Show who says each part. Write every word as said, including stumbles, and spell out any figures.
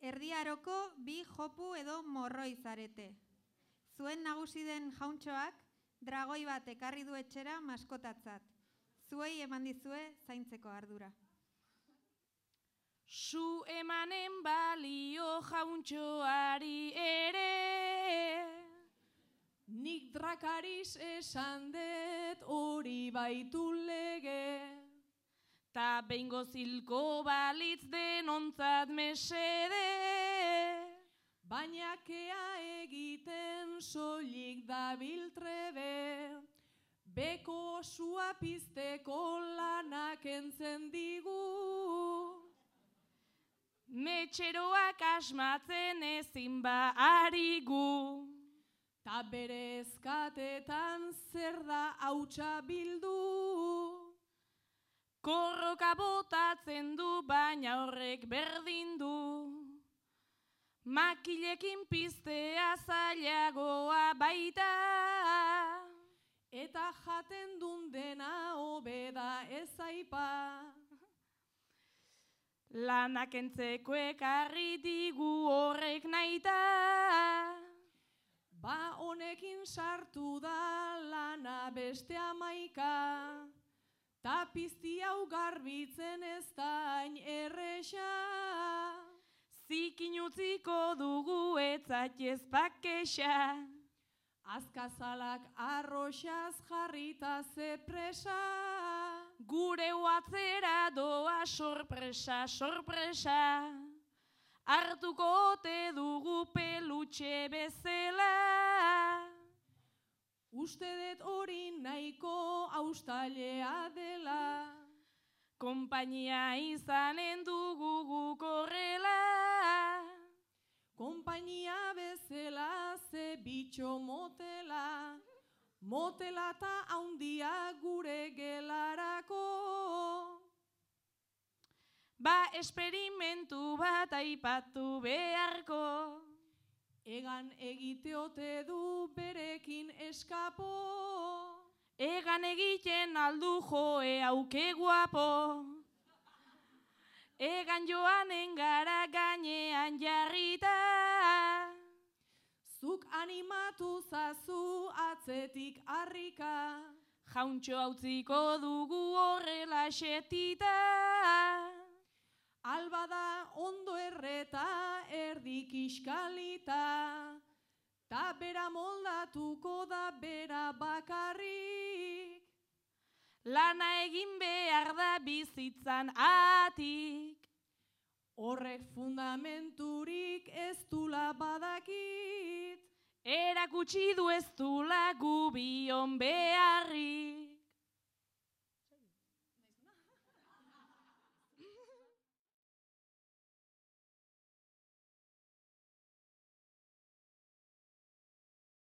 Speaker 1: erdiaroko bi jopu edo morroi zarete. Zuen nagusi den jauntxoak dragoi bat ekarri du etxera maskotatzat. Zuei eman dizue zaintzeko ardura.
Speaker 2: Zu emanen balio jauntxoari ere,
Speaker 3: nik drakariz esan dut hori baitu lege,
Speaker 2: ta behingo zilko balitz denontzat mesede,
Speaker 3: baina kea egiten soilik dabil trebe, beko osua pizteko lanak entzen digu.
Speaker 2: Metxeroak asmatzen ezin ba arigu,
Speaker 3: ta bere eskatetan zer da hautsa bildu.
Speaker 2: Korroka botatzen du baina horrek berdin du, makilekin piztea zailagoa baita,
Speaker 3: eta jaten dun dena hobeda ez aipa.
Speaker 2: Lanak entzeko ekarri digu horrek naita,
Speaker 3: ba honekin sartu da lana beste amaika, ta pizti hau garbitzen ez da hain erresa.
Speaker 2: Zikin utziko dugu etzatez pakesa,
Speaker 3: azkazalak arroxaz jarrita ze presa,
Speaker 2: gure uatzera doa sorpresa, sorpresa, hartuko ote dugu pelutxe bezala.
Speaker 3: Uste dut hori nahiko austalea dela,
Speaker 2: konpainia izanen dugu guk horrela,
Speaker 3: konpainia bezala ze bitxo motela, motela ta haundia gure gelarako.
Speaker 2: Ba esperimentu bat aipatu beharko,
Speaker 3: egan egiteote du berekin eskapo,
Speaker 2: egan egiten aldu joe auke guapo, egan joanen gara gainean jarrita,
Speaker 3: zuk animatu zazu atzetik harrika,
Speaker 2: jauntxo hautziko dugu horrela xetita,
Speaker 3: albada ondo erreta erdik iskalita, ta bera moldatuko da bera bakarrik,
Speaker 2: lana egin behar da bizitzan atik,
Speaker 3: horrek fundamenturik ez dula badakit,
Speaker 2: erakutsi du ez dula gubion beharrik.